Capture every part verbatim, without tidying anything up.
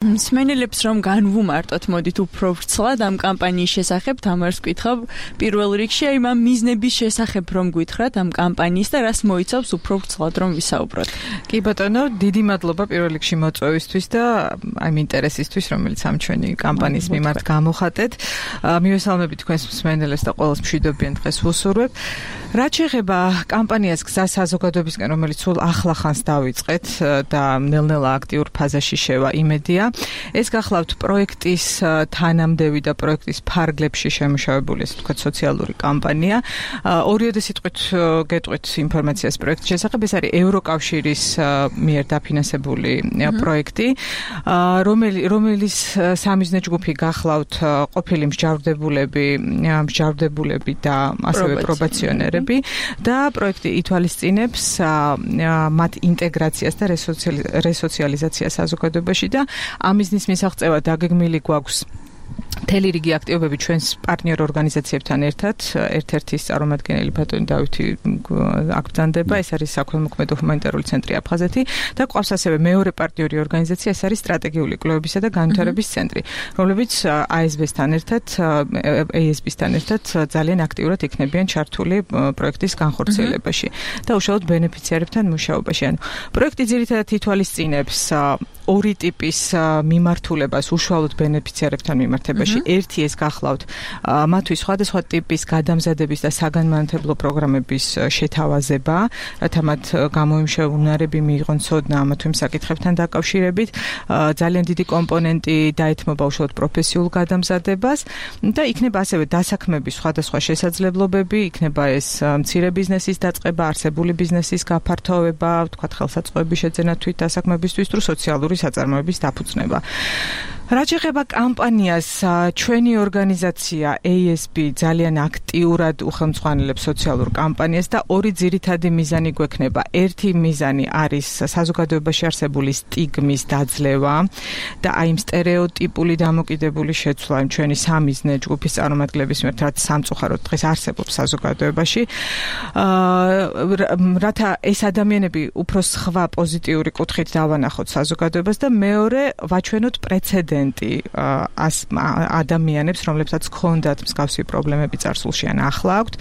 მსმენელებს რომ განვუმარტოთ, მოდით უფრო ვრცლად ამ კამპანიის შესახებ, თამარს გითხრობ, პირველ რიგში აი ამ მიზნების შესახებ რომ გითხრათ ამ კამპანიის და რას მოიცავს უფრო ვრცლად რომ ვისაუბროთ. კი ბატონო, დიდი მადლობა პირველ რიგში მოწვევისთვის და აი ინტერესისთვის, რომელიც ამ ჩვენი კამპანიის მიმართ გამოხატეთ. მივესალმები თქვენს მსმენელებს და ყველას მშვიდობიან დღეს ვუსურვებ. რაც შეეხება კამპანიას გზა საზოგადოებისკენ, რომელიც სულ ახლა ხანს დავიწყეთ და ნელ-ნელა აქტიურ ფაზაში შევა იმედია. ეს გახლავთ პროექტის თანამდევი და პროექტის ფარგლებში შემუშავებული, ესე ვთქვათ, სოციალური კამპანია. ორიოდე სიტყვით გეტყვით ინფორმაციას პროექტის შესახებ. ეს არის ევროკავშირის მიერ დაფინანსებული პროექტი, რომელიც სამიზნე ჯგუფი გახლავთ ყოფილი მსჯავრდებულები, მსჯავრდებულები და ასევე პრობაციონერები და პროექტი ითვალისწინებს მათ ინტეგრაციას და რესოციალიზაციას საზოგადოებაში და ამიზნის მისაღწევად დაგეგმილი გვაქვს მთელი რიგი აქტივობები ჩვენს პარტნიორ ორგანიზაციებთან ერთად. ერთ-ერთი წარმომადგენელი ბატონი დავითი აქ ბრძანდება, ეს არის საქველმოქმედო ჰუმანიტარული ცენტრი აფხაზეთი და ყავს ასევე მეორე პარტნიორი ორგანიზაცია, ეს არის სტრატეგიული კვლევებისა და განვითარების ცენტრი, რომლებიც აი ეს ბი-სთან ერთად, ეი ეს ბი-სთან ერთად ძალიან აქტიურად იქნებიან ჩართული პროექტის განხორციელებაში და უშუალოდ ბენეფიციარებთან მუშაობაში. ანუ პროექტი ძირითადად ითვალისწინებს ორი ტიპის მიმართულებას უშუალოდ ბენეფიციარებთან მიმართებაში. ერთი ეს გახლავთ მათთვის სხვადასხვა ტიპის გადამზადების და საგანმანათლებლო პროგრამების შეთავაზება, რათა მათ გამოიმშევნარები მიიღონ ცოდნა ამა თუ იმ საკითხებთან დაკავშირებით. ძალიან დიდი კომპონენტი დაეთმობა უშუალოდ პროფესიულ გადამზადებას და იქნება ასევე დასაქმების სხვადასხვა შესაძლებლობები, იქნება ეს მცირე ბიზნესის დაწყება, არსებული ბიზნესის გაფართოვება, ვთქვათ, ხელსაწყოების შეძენა თვით დასაქმებისთვის თუ სოციალური საწარმოების დაფუძნება. რაც შეეხება კამპანიას, ჩვენი ორგანიზაცია ეი ეს ბი ძალიან აქტიურად უხელმძღვანელებს სოციალურ კამპანიას და ორი ძირითადი მიზანი გვექნება. ერთი მიზანი არის საზოგადოებაში არსებული სტიგმის დაძლევა და აი იმ სტერეოტიპული დამოკიდებული შეცვლა იმ ჩვენი სამიზნე ჯგუფის წარმომადგენლების მიერ, რაც სამწუხაროდ დღეს არსებობს საზოგადოებაში. რათა ეს ადამიანები უფრო სხვა პოზიტიური კუთხით დავანახოთ საზოგადოებას და მეორე ვაჩვენოთ პრეცედენტი ადამიანებს, რომლებსაც ჰქონდათ მსგავსი პრობლემები წარსულში ან ახლა აქვთ,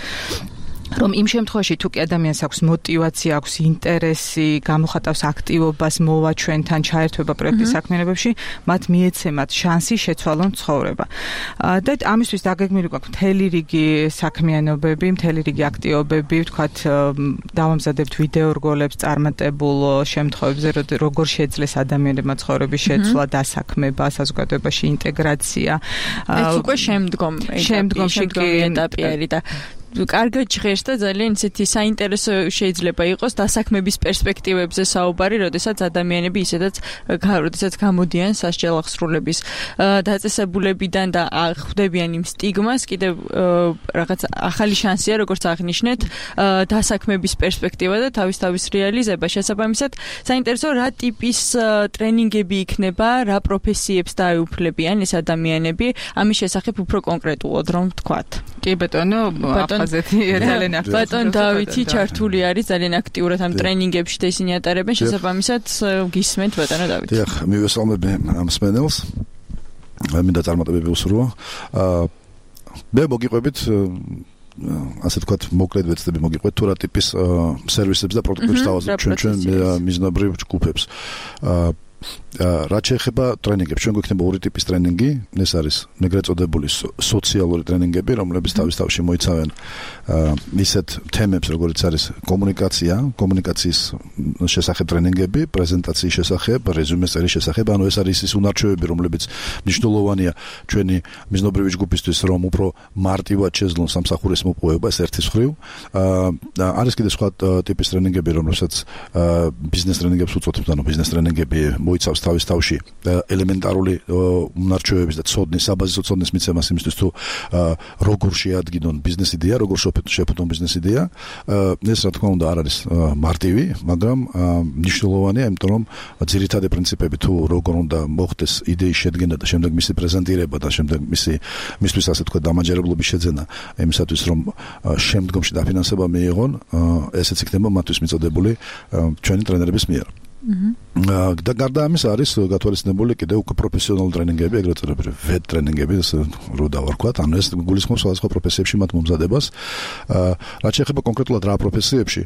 რომ იმ შემთხვევაში თუ კი ადამიანს აქვს мотиваცია, აქვს ინტერესი, გამოხატავს აქტივობას მოვა ჩვენთან ჩაერთვება პროექტის საქმიანობებში, მათ მიეცემათ შანსი შეცვალონ ცხოვრება. და ამისთვის დაგეგმილი გვაქვს მთელი რიგი საქმიანობები, მთელი რიგი აქტივობები, ვთქვათ, დავამზადებთ ვიდეო რგოლებს წარმატებულ შემთხვევებზე, როგორ შეძლეს ადამიანებმა ცხოვრების შეცვლა, დასაქმება, საზოგადოებაში ინტეგრაცია. ეს უკვე შემდგომ შემდგომი ეტაპი არის და კარგად ჟღერს და ძალიან ისეთი საინტერესო შეიძლება იყოს დასაქმების პერსპექტივებზე საუბარი, როდესაც ადამიანები ისედაც როდესაც გამოდიან სასჯელ აღსრულების დაწესებულებიდან და ხვდებიან იმ სტიგმას, კიდევ რაღაც ახალი შანსია, როგორც აღნიშნეთ, დასაქმების პერსპექტივა და თავის-თავის რეალიზება. შესაბამისად, საინტერესო რა ტიპის ტრენინგები იქნება, რა პროფესიებს დაეუფლებიან ეს ადამიანები, ამის შესახებ უფრო კონკრეტულად რომ ვთქვათ. კი ბატონო, ძალიან აქტიურად. ბატონ დავითი ჩართული არის ძალიან აქტიურად ამ ტრენინგებში და ისინი ატარებენ, შესაბამისად გისმენთ ბატონო დავითი. დიახ, მივესალმები ამ მსმენელს. მინდა წარმატებები უსურვო. მე მოგიყვებით ასე ვთქვათ, მოკლედ ვეცდები მოგიყვეთ თუ რა ტიპის სერვისებს და პროდუქტებს დავაზრდით ჩვენ ჩვენ მიზნობრივ ჯგუფებს. რაც შეეხება ტრენინგებს, ჩვენ გვექნება ორი ტიპის ტრენინგი, ეს არის ეგრეთ წოდებული სოციალური ტრენინგები, რომლებიც თავის თავში მოიცავენ ისეთ თემებს, როგორიც არის კომუნიკაცია, კომუნიკაციის შესახებ ტრენინგები, პრეზენტაციის შესახებ, რეზუმეს წერის შესახებ, ანუ ეს არის ის უნარჩვევები, რომლებიც მნიშვნელოვანია ჩვენი მიზნობრივი ჯგუფისთვის, რომ უფრო მარტივად შეძლონ სამსახურის მოპოვება, ეს ერთის მხრივ. არის კიდე სხვა ტიპის ტრენინგები, რომლებსაც ბიზნეს ტრენინგებს უწოდებთ, ანუ ბიზნეს ტრენინგები მოიცავს თავის თავში ელემენტარული უნარჩვევების და ცოდნის, საბაზისო ცოდნის მიცემას იმისთვის, თუ როგორ შეადგინონ ბიზნეს იდეა, როგორ შეფუთონ ბიზნეს იდეა. ეს რა თქმა უნდა არ არის მარტივი, მაგრამ მნიშვნელოვანია, იმიტომ რომ ძირითადი პრინციპები, თუ როგორ უნდა მოხდეს იდეის შედგენა და შემდეგ მისი პრეზენტირება და შემდეგ მისი მისთვის ასე თქვა დამაჯერებლობის შეძენა, იმისათვის რომ შემდგომში დაფინანსება მიიღონ, ესეც იქნება მათთვის მიწოდებული ჩვენი ტრენერების მიერ. და გარდა ამის არის გათვალისწინებული კიდევ უკვე პროფესიონალური ტრენინგები, ეგრეთ წოდებული ვედ ტრენინგები, რო დავარქვათ, ანუ ეს გულისხმობს სხვადასხვა პროფესიებში მათ მომზადებას. რაც შეეხება კონკრეტულად რა პროფესიებში,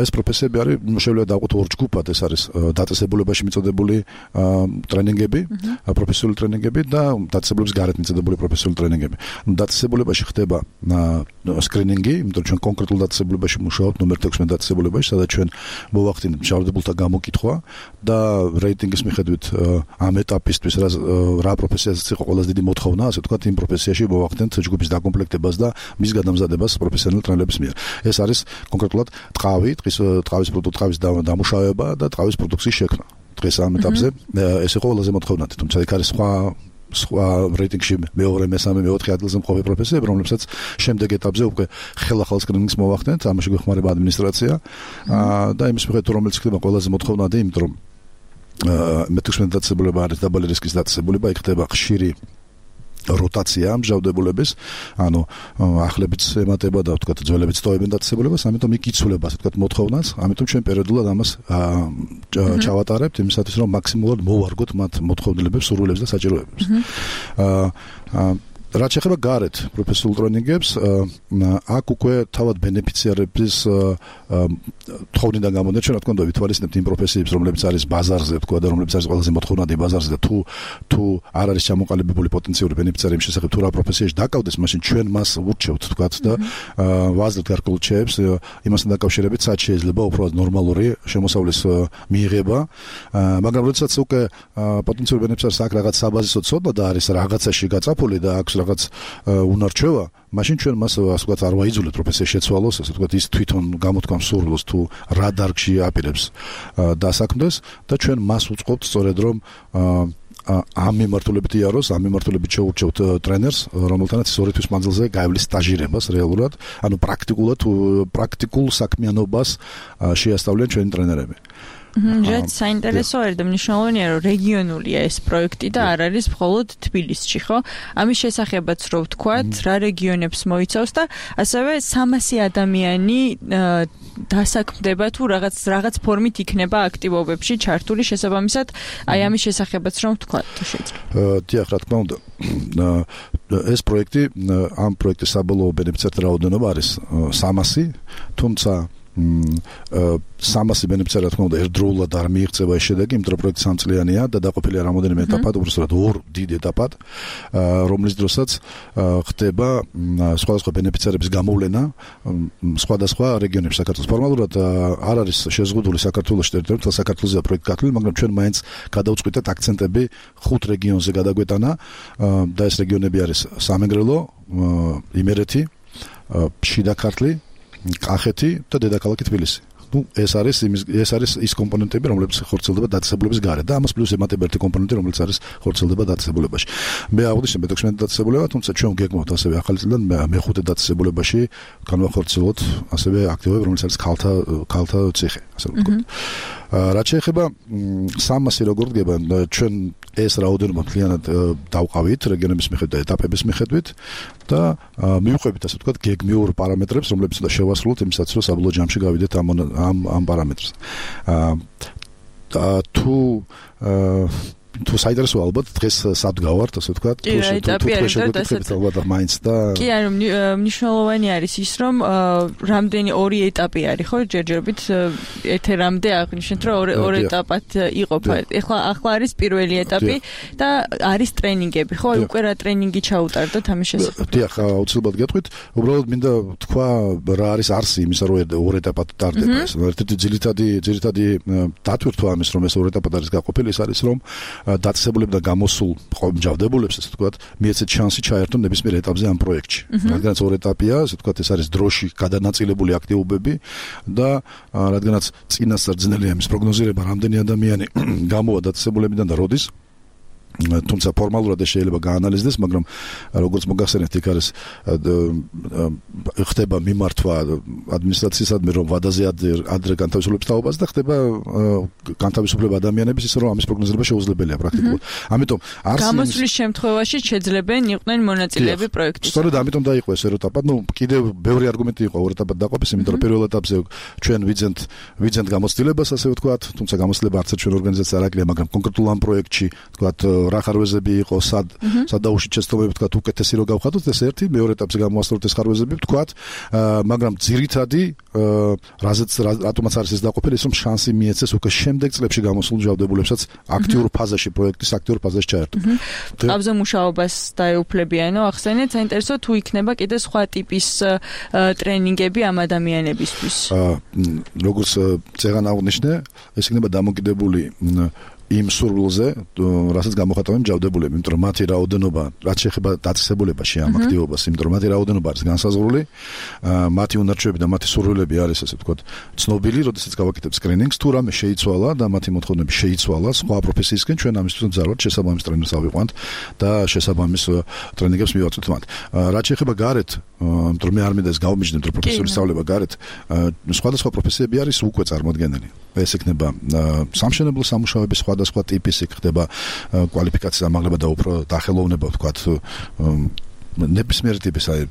ეს პროფესიები არის შეიძლება დავყოთ ორ ჯგუფად, ეს არის დაწესებულებაში მიწოდებული ტრენინგები, პროფესიული ტრენინგები და დაწესებულების გარეთ მიწოდებული პროფესიული ტრენინგები. დაწესებულებაში ხდება სკრინინგი, იმიტომ რომ ჩვენ კონკრეტულ დაწესებულებაში მუშაობთ, ნომერ თექვსმეტ დაწესებულებაში, სადაც ჩვენ მოვახდინებთ მშავდებულთა გამოკითხვა და რეიტინგის მიხედვით ამ ეტაპისთვის რა რა პროფესიაზეც იყო ყველაზე დიდი მოთხოვნა, ასე ვთქვათ, იმ პროფესიაში მოვახდენთ ჯგუფის დაკომპლექტებას და მის გადამზადებას პროფესიონალ ტრენერების მიერ. ეს არის კონკრეტულად ტყავი, ტყის ტყავის პროდუქტ, ტყავის დამუშავება და ტყავის პროდუქციის შექმნა. დღეს ამ ეტაპზე ეს იყო ყველაზე მოთხოვნადი, თუმცა იქ არის სხვა სხვა რეიტინგში მეორე, მესამე, მეოთხე ადგილზე მყოფი პროფესიები, რომლებსაც შემდეგ ეტაპზე უკვე ხელახალ სკრინინგს მოვახდენთ, ამაში გვეხმარება ადმინისტრაცია და იმის მიხედვით რომელიც ხდება ყველაზე მოთხოვნადი, იმიტომ რომ მეთექვსმეტ დაწესებულება არის დაბალი რისკის დაწესებულება, იქ ხდება ხშირი როტაცია მჟავდებულების, ანუ ახლებიც ემატება და ვთქვათ ძველებიც ტოვებენ დაწესებულებას, ამიტომ იქ იცვლება, ასე ვთქვათ, მოთხოვნას, ამიტომ ჩვენ პერიოდულად ამას ჩავატარებთ იმისათვის, რომ მაქსიმალურად მოვარგოთ მათ მოთხოვნილებებს, სურვილებს და საჭიროებებს. აა რაც შეეხება გარეთ პროფესიულ ტრენინგებს, აქ უკვე თავად ბენეფიციარების თხოვნიდან გამოდეთ, ჩვენ რა თქმა უნდა ვითვალისწინებთ იმ პროფესიებს, რომლებიც არის ბაზარზე, თქვა და რომლებიც არის ყველაზე მოთხოვნადი ბაზარზე და თუ თუ არ არის ჩამოყალიბებული პოტენციური ბენეფიციარი იმ შესახებ თუ რა პროფესიაში დაკავდეს, მაშინ ჩვენ მას ურჩევთ, თქვა და ვაზრდით გარკვეულ ჩეებს იმასთან დაკავშირებით, სად შეიძლება უფრო ნორმალური შემოსავლის მიიღება, მაგრამ როდესაც უკვე პოტენციური ბენეფიციარს აქ რაღაც საბაზისო ცოდნა და არის რაღაცაში გაწაფული და აქვს რაღაც უნარჩვევა, მაშინ ჩვენ მას ასე ვთქვათ არ ვაიძულებთ პროფესიაში შეცვალოს, ასე ვთქვათ ის თვითონ გამოთქვამს სურვილს თუ რა დარგში აპირებს დასაქმდეს და ჩვენ მას უწყობთ სწორედ რომ ამ მიმართულებით იაროს, ამ მიმართულებით შეურჩევთ ტრენერს, რომელთანაც ორი თვის მანძილზე გაივლის სტაჟირებას რეალურად, ანუ პრაქტიკულად პრაქტიკულ საქმიანობას შეასწავლიან ჩვენი ტრენერები. რაც საინტერესო არის და მნიშვნელოვანია, რომ რეგიონულია ეს პროექტი და არ არის მხოლოდ თბილისში, ხო? ამის შესახებაც რო ვთქვათ, რა რეგიონებს მოიცავს და ასევე სამასი ადამიანი დასაქმდება თუ რაღაც რაღაც ფორმით იქნება აქტივობებში ჩართული, შესაბამისად, აი ამის შესახებაც რომ ვთქვათ, თუ შეიძლება. დიახ, რა თქმა უნდა. ეს პროექტი, ამ პროექტის საბოლოო ბენეფიციართა რაოდენობა არის სამასი, თუმცა სამასი ბენეფიციარი რა თქმა უნდა ერთდროულად არ მიიღწევა ეს შედეგი, იმიტომ რომ პროექტი სამწლიანია და დაყოფილია რამოდენიმე ეტაპად, უბრალოდ ორ დიდ ეტაპად, რომლის დროსაც ხდება სხვადასხვა ბენეფიციარების გამოვლენა სხვადასხვა რეგიონებში საქართველოს. ფორმალურად არ არის შეზღუდული საქართველოს ტერიტორია, თელ საქართველოსია პროექტი გათვლილი, მაგრამ ჩვენ მაინც გადავწყვიტეთ აქცენტები ხუთ რეგიონზე გადაგვეტანა და ეს რეგიონები არის სამეგრელო, იმერეთი, შიდა ქართლი, კახეთი და დედაქალაქი თბილისი. ну ეს არის ეს არის ის კომპონენტები, რომლებიც ხორციელდება დაწესებულების გარეთ და ამას პლუს ემატება ერთი კომპონენტი, რომელიც არის ხორციელდება დაწესებულებაში. მე აღვნიშნე მეთექვსმეტ დაწესებულება, თუმცა ჩვენ გეგმავთ ასევე ახალი წლიდან მეხუთე დაწესებულებაში განვახორციელოთ ასევე აქტივობები, რომელიც არის ქალთა ქალთა ციხე, ასე ვთქვათ. რაც შეეხება სამასი როგორ დგება, ჩვენ ეს რაოდენობა მთლიანად დავყავით რეგიონების მიხედვით და ეტაპების მიხედვით და მივყვებით, ასე ვთქვათ, გეგმიურ პარამეტრებს, რომლებიც და შევასრულოთ იმისათვის, რომ საბოლოო ჯამში გავიდეთ ამ ამ ამ პარამეტრს. აა თუ თუ საინტერესო ალბათ დღეს სად გავართ, ასე ვთქვათ, თუ შეგვიძლია ალბათ მაინც და კი, ანუ მნიშვნელოვანი არის ის, რომ რამდენი ორი ეტაპი არის, ხო, ჯერჯერობით ეთერამდე აღნიშნეთ, რომ ორი ეტაპად იყოფა. ეხლა ახლა არის პირველი ეტაპი და არის ტრენინგები, ხო, უკვე რა ტრენინგი ჩაუტარდოთ ამის შესახებ. დიახ, აუცილებლად გეტყვით, უბრალოდ მინდა თქვა რა არის არსი იმისა, რომ ორ ეტაპად ტარდება ეს. ერთ-ერთი ძირითადი ძირითადი დატვირთვა ამის, რომ ეს ორ ეტაპად არის გაყოფილი, ის არის, რომ დაწესებულებიდან გამოსულ მჟავდებულებს, ასე ვთქვათ, მიეცეთ შანსი ჩაერთონ ნებისმიერ ეტაპზე ამ პროექტში. რადგანაც ორ ეტაპია, ასე ვთქვათ, ეს არის დროში გადანაწილებული აქტივობები და რადგანაც წინასწარ ძნელია იმის პროგნოზირება, რამდენი ადამიანი გამოვა დაწესებულებიდან და როდის. თუმცა ფორმალურად ეს შეიძლება გაანალიზდეს, მაგრამ როგორც მოგახსენებთ, იქ არის ხდება მიმართვა ადმინისტრაციისადმი, რომ ვადაზე ადრე განთავისუფლების თაობაზე და ხდება განთავისუფლება ადამიანების ისე რომ ამის პროგნოზება შეუძლებელია პრაქტიკულად. ამიტომ გამოსვლის შემთხვევაში შეძლებენ იყვნენ მონაწილეები პროექტის. სწორედ ამიტომ დაიყო ეს ერთ ეტაპად, ну, კიდევ ბევრი არგუმენტი იყო ორ ეტაპად დაყოფის, იმიტომ რომ პირველ ეტაპზე ჩვენ ვიძენთ ვიძენთ გამოცდილებას, ასე ვთქვათ, თუმცა გამოცდილება არც ერთ ჩვენ ორგანიზაციას არ აკლია, მაგრამ კონკრეტულ ამ პროექტში, ვთქვათ, რა ხარვეზები იყო, სად სად დაუშვით შეცდომები, ვთქვათ, უკეთესი რო გავხადოთ, ეს ერთი, მეორე ეტაპზე გამოასწოროთ ეს ხარვეზები, ვთქვათ, მაგრამ ძირითადი რაზეც რატომაც არის ეს დაყოფილი, ის რომ შანსი მიეცეს უკვე შემდეგ წლებში გამოსულ ჯავდებულებსაც აქტიურ ფაზაში, პროექტის აქტიურ ფაზაში ჩაერთონ. ყავზე მუშაობას დაეუფლებიანო, ახსენეთ, საინტერესო თუ იქნება კიდე სხვა ტიპის ტრენინგები ამ ადამიანებისთვის. როგორც წეგან აღნიშნე, ეს იქნება დამოკიდებული იმ სურვილზე, რასაც გამოხატავენ ჯავდებულები, იმიტომ რომ მათი რაოდენობა, რაც შეეხება დაწესებულებაში ამ აქტივობას, იმიტომ რომ მათი რაოდენობა არის განსაზღვრული, მათი უნარჩვები და მათი სურვილები არის, ასე ვთქვათ, ცნობილი, როდესაც გავაკეთებ სკრინინგს, თუ რამე შეიცვალა და მათი მოთხოვნები შეიცვალა სხვა პროფესიისკენ, ჩვენ ამისთვის მძარვად შესაბამის ტრენერს ავიყვანთ და შესაბამის ტრენინგებს მივაწვით მათ. რაც შეეხება გარეთ, იმიტომ რომ მე არ მინდა ეს გავმიჯნოთ, რომ პროფესორის სწავლება გარეთ, სხვადასხვა პროფესიები არის უკვე წარმოდგენილი. ეს იქნება სამშენებლო სამუშაოების სხვადასხვა ტიპის, იქ ხდება კვალიფიკაციის ამაღლება და უფრო დაახელოვნება, ვთქვათ, ნებისმიერი ტიპის, აი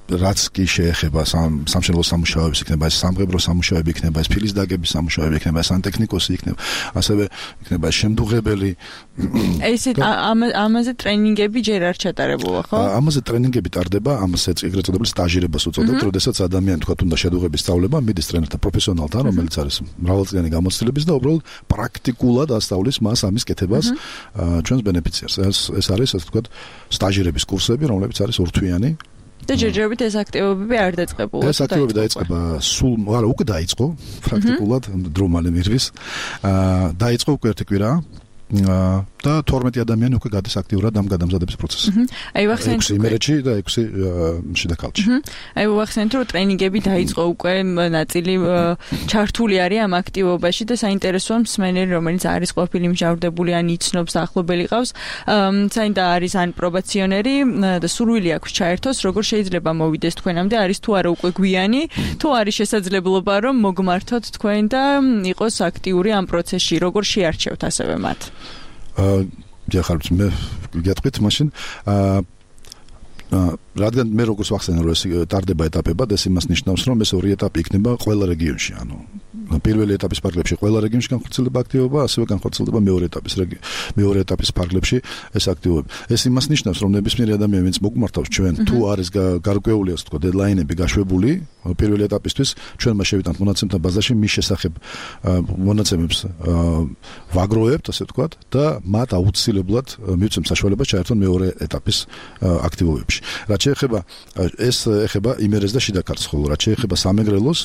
რაც კი შეეხება სამშენებლო სამუშაოებს, იქნება ეს სამღებრო სამუშაოები, იქნება ეს ფილის დაგების სამუშაოები, იქნება ეს სანტექნიკოსი, იქნება ასევე იქნება შემდუღებელი. ესე ამაზე ტრენინგები ჯერ არ ჩატარებულა, ხო? ამაზე ტრენინგები ტარდება, ამაზე ეგრეთ წოდებული სტაჟირებას უწოდებთ, როდესაც ადამიანი თქვა თუნდა შედუღების სწავლება მიდის ტრენერთან, პროფესიონალთან, რომელიც არის მრავალწლიანი გამოცდილების და უბრალოდ პრაქტიკულად ასწავლის მას ამის კეთებას ჩვენს ბენეფიციარს. ეს ეს არის ასე ვთქვათ სტაჟირების კურსები, რომლებიც არის ორთვიანი. და ჯერჯერობით ეს აქტივობები არ დაწყებულა. ეს აქტივობები დაიწყება სულ, არა, უკვე დაიწყო პრაქტიკულად დრო მალე მირვის. აა დაიწყო უკვე ერთი კვირა. და თორმეტი ადამიანი უკვე გადის აქტიურად ამ გადამზადების პროცესში. აი ვახსენეთ ექვსი იმერეთში და ექვსი შიდა ქალში. აი ვახსენეთ რომ ტრენინგები დაიწყო უკვე ნაწილი ჩართული არის ამ აქტივობაში და საინტერესოა მსმენელი რომელიც არის ყოფილი მჟავრდებული ან იცნობს ახლობელი ყავს, საინდა არის ან პრობაციონერი და სურვილი აქვს ჩაერთოს, როგორ შეიძლება მოვიდეს თქვენამდე, არის თუ არა უკვე გვიანი, თუ არის შესაძლებლობა რომ მოგმართოთ თქვენ და იყოს აქტიური ამ პროცესში, როგორ შეარჩევთ ასევე მათ. აა ჯახალთ მე გეტყვით მაშინ აა რადგან მე როგორც ვახსენე რომ ეს ტარდება ეტაპებად, ეს იმას ნიშნავს რომ ეს ორი ეტაპი იქნება ყველა რეგიონში, ანუ პირველი ეტაპის ფარგლებში ყველა რეგიონში განხორციელდება აქტივობა, ასევე განხორციელდება მეორე ეტაპის მეორე ეტაპის ფარგლებში ეს აქტივობები. ეს იმას ნიშნავს რომ ნებისმიერი ადამიანი ვინც მოგმართავს ჩვენ, თუ არის გარკვეული ასე ვთქვათ დედლაინები გაშვებული პირველი ეტაპისთვის, ჩვენ მას შევიტანთ მონაცემთა ბაზაში მის შესახებ მონაცემებს ვაგროვებთ, ასე ვთქვათ და მათ აუცილებლად მივცემთ საშუალებას ჩაერთონ მეორე ეტაპის აქტივობებში. რაც შეეხება ეს ეხება იმერეს და შიდა ქართლს, ხოლო რაც შეეხება სამეგრელოს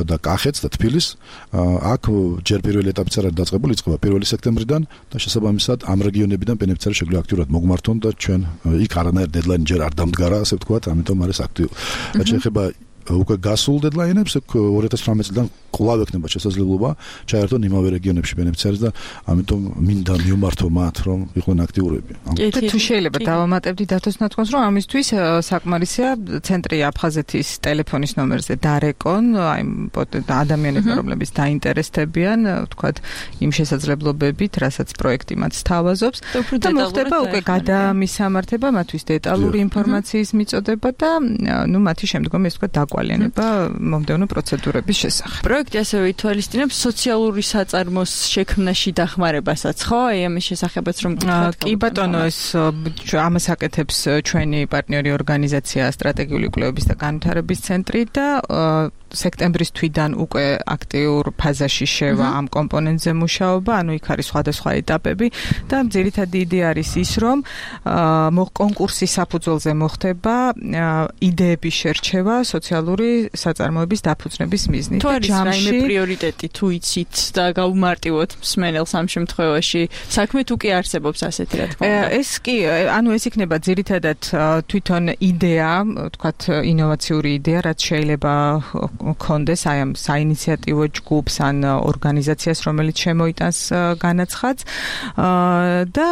და კახეთს და თბილისს, აქ ჯერ პირველი ეტაპიც არ არის დაწყებული, იწყება პირველი სექტემბრიდან და შესაბამისად ამ რეგიონებიდან ბენეფიციარი შეგვიძლია აქტიურად მოგმართონ და ჩვენ იქ არანაირ დედლაინი ჯერ არ დამდგარა, ასე ვთქვათ, ამიტომ არის აქტიური. რაც შეეხება უკვე გასულ დედლაინებს, ორი ათას ცხრამეტი წლიდან კვლავ ექნება შესაძლებლობა ჩაერთონ იმავე რეგიონებში ბენეფიციარს და ამიტომ მინდა მივმართო მათ, რომ იყვნენ აქტიურები. თუ შეიძლება დავამატებდი დათოს ნათქვამს, რომ ამისთვის საკმარისია ცენტრი აფხაზეთის ტელეფონის ნომერზე დარეკონ, აი ადამიანები, რომლებიც დაინტერესდებიან, ვთქვათ, იმ შესაძლებლობებით, რასაც პროექტი მათ სთავაზობს და მოხდება უკვე გადამისამართება მათთვის დეტალური ინფორმაციის მიწოდება და ნუ მათი შემდგომი ეს ვთქვათ კვალიანება მომდევნო პროცედურების შესახებ. პროექტი ასევე ითვალისწინებს სოციალური საწარმოს შექმნაში დახმარებასაც, ხო? აი ამის შესახებაც რომ გითხრათ. კი ბატონო, ეს ამას აკეთებს ჩვენი პარტნიორი ორგანიზაცია სტრატეგიული კვლევების და განვითარების ცენტრი და სექტემბრის თვიდან უკვე აქტიურ ფაზაში შევა ამ კომპონენტზე მუშაობა, ანუ იქ არის სხვადასხვა ეტაპები და ძირითადი იდეა არის ის, რომ კონკურსის საფუძველზე მოხდება იდეების შერჩევა სოციალურ სოციალური საწარმოების დაფუძნების მიზნით. თუ არის რაიმე პრიორიტეტი თუ იცით და გავუმარტივოთ მსმენელს ამ შემთხვევაში, საქმე თუ კი არსებობს ასეთი რა თქმა უნდა. ეს კი, ანუ ეს იქნება ძირითადად თვითონ იდეა, თქვათ ინოვაციური იდეა, რაც შეიძლება კონდეს აი ამ საინიციატივო ჯგუფს ან ორგანიზაციას, რომელიც შემოიტანს განაცხადს და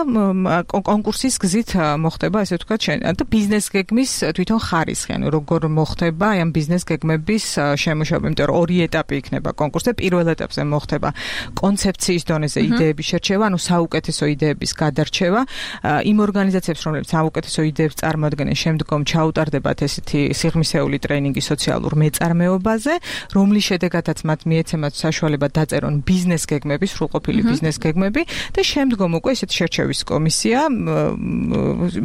კონკურსის გზით მოხდება, ასე ვთქვათ, და ბიზნეს გეგმის თვითონ ხარისხი, ანუ როგორ მოხდება აი ამ ბიზნეს გეგმების შემუშავება, იმიტომ რომ ორი ეტაპი იქნება კონკურსზე. პირველ ეტაპზე მოხდება კონცეფციის დონეზე იდეების შერჩევა, ანუ საუკეთესო იდეების გადარჩევა. იმ ორგანიზაციებს, რომლებიც საუკეთესო იდეებს წარმოადგენენ, შემდგომ ჩაუტარდებათ ესეთი სიღრმისეული ტრეინინგი სოციალურ მეწარმეობაზე, რომლის შედეგადაც მათ მიეცემათ საშუალება დაწერონ ბიზნეს გეგმები, სრულყოფილი ბიზნეს გეგმები და შემდგომ უკვე ესეთი შერჩევის კომისია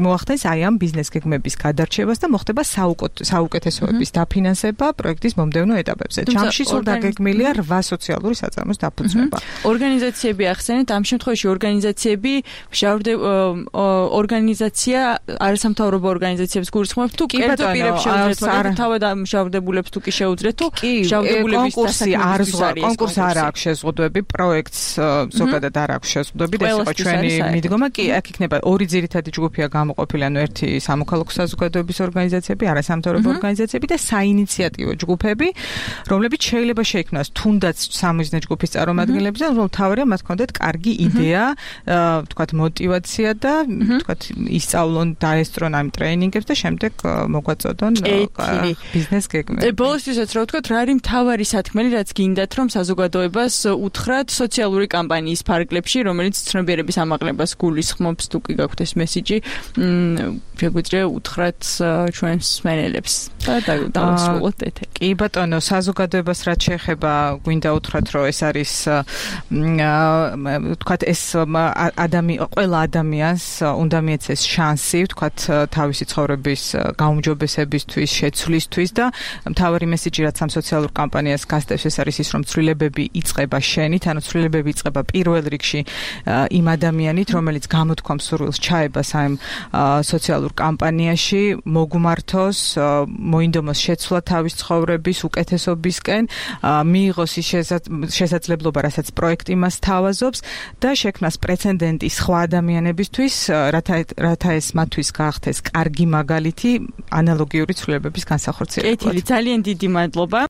მოახდენს აი ამ ბიზნეს გეგმების გადარჩევას და მოხდება საუკეთესოების დაფინანსება პროექტის მომდევნო ეტაპებზე. ჯამში სულ დაგეგმილია რვა სოციალური საწარმოს დაფუძნება. ორგანიზაციები ახსენეთ, ამ შემთხვევაში ორგანიზაციები ორგანიზაცია არასამთავრობო ორგანიზაციებს გულისხმობთ თუ კერძო პირებს შეუძლიათ თავად მშავდებულებს თუ კი შეუძლიათ თუ მშავდებულების კონკურსი არ კონკურსი არ აქვს შეზღუდვები, პროექტს ზოგადად არ აქვს შეზღუდვები და ეს იყო ჩვენი მიდგომა. კი, აქ იქნება ორი ძირითადი ჯგუფია გამოყოფილი, ანუ ერთი სამოქალაქო საზოგადოების ორგანიზაციები, არასამთავრობო ორგანიზაციები და საინიციატივო ჯგუფები, რომლებიც შეიძლება შეიქმნას თუნდაც სამიზნე ჯგუფის წარმომადგენლებზე, რომ თავარია მათ ჰქონდეთ კარგი იდეა, თქვათ мотиваცია და თქვათ ისწავლონ, დაესწრონ ამ ტრეინინგებს და შემდეგ მოგვაწოდონ ბიზნეს გეგმები. ბოლოსთვისაც რა ვთქვათ, რა არის მთავარი სათქმელი, რაც გინდათ, რომ საზოგადოებას უთხრათ სოციალური კამპანიის ფარგლებში, რომელიც ცნობიერების ამაღლებას გულისხმობს, თუ კი გაქვთ ეს მესიჯი, შეგვიძლია უთხრათ ჩვენს მსმენელებს და დავასრულოთ ეთერი. კი ბატონო, საზოგადოებას რაც შეეხება, გვინდა უთხრათ, რომ ეს არის თქვათ ეს ადამიანი, ყველა ადამიანს უნდა მიეცეს შანსი, თქვათ თავისი ცხოვრების გაუმჯობესებისთვის, შეცვლისთვის და მთავარი მესიჯი, რაც ამ სოციალურ კამპანიას გასდევს, ეს არის ის, რომ ცვლილებები იწყება შენით, ანუ ცვლილებები იწყება პირველ რიგში იმ ადამიანით, რომელიც გამოთქვამს სურვილს ჩაებას ამ სოციალურ კამპანიაში, მოგმართოს, მოინდომოს შეცვლა თავის ცხოვრების უკეთესობისკენ, მიიღოს ის შესაძლებლობა, რასაც პროექტი მას თავაზობს და შექმნას პრეცედენტი სხვა ადამიანებისთვის, რათა ეს მათთვის გაახდეს კარგი მაგალითი ანალოგიური ცვლილებების განსახორციელებლად. კეთილი, ძალიან დიდი მადლობა.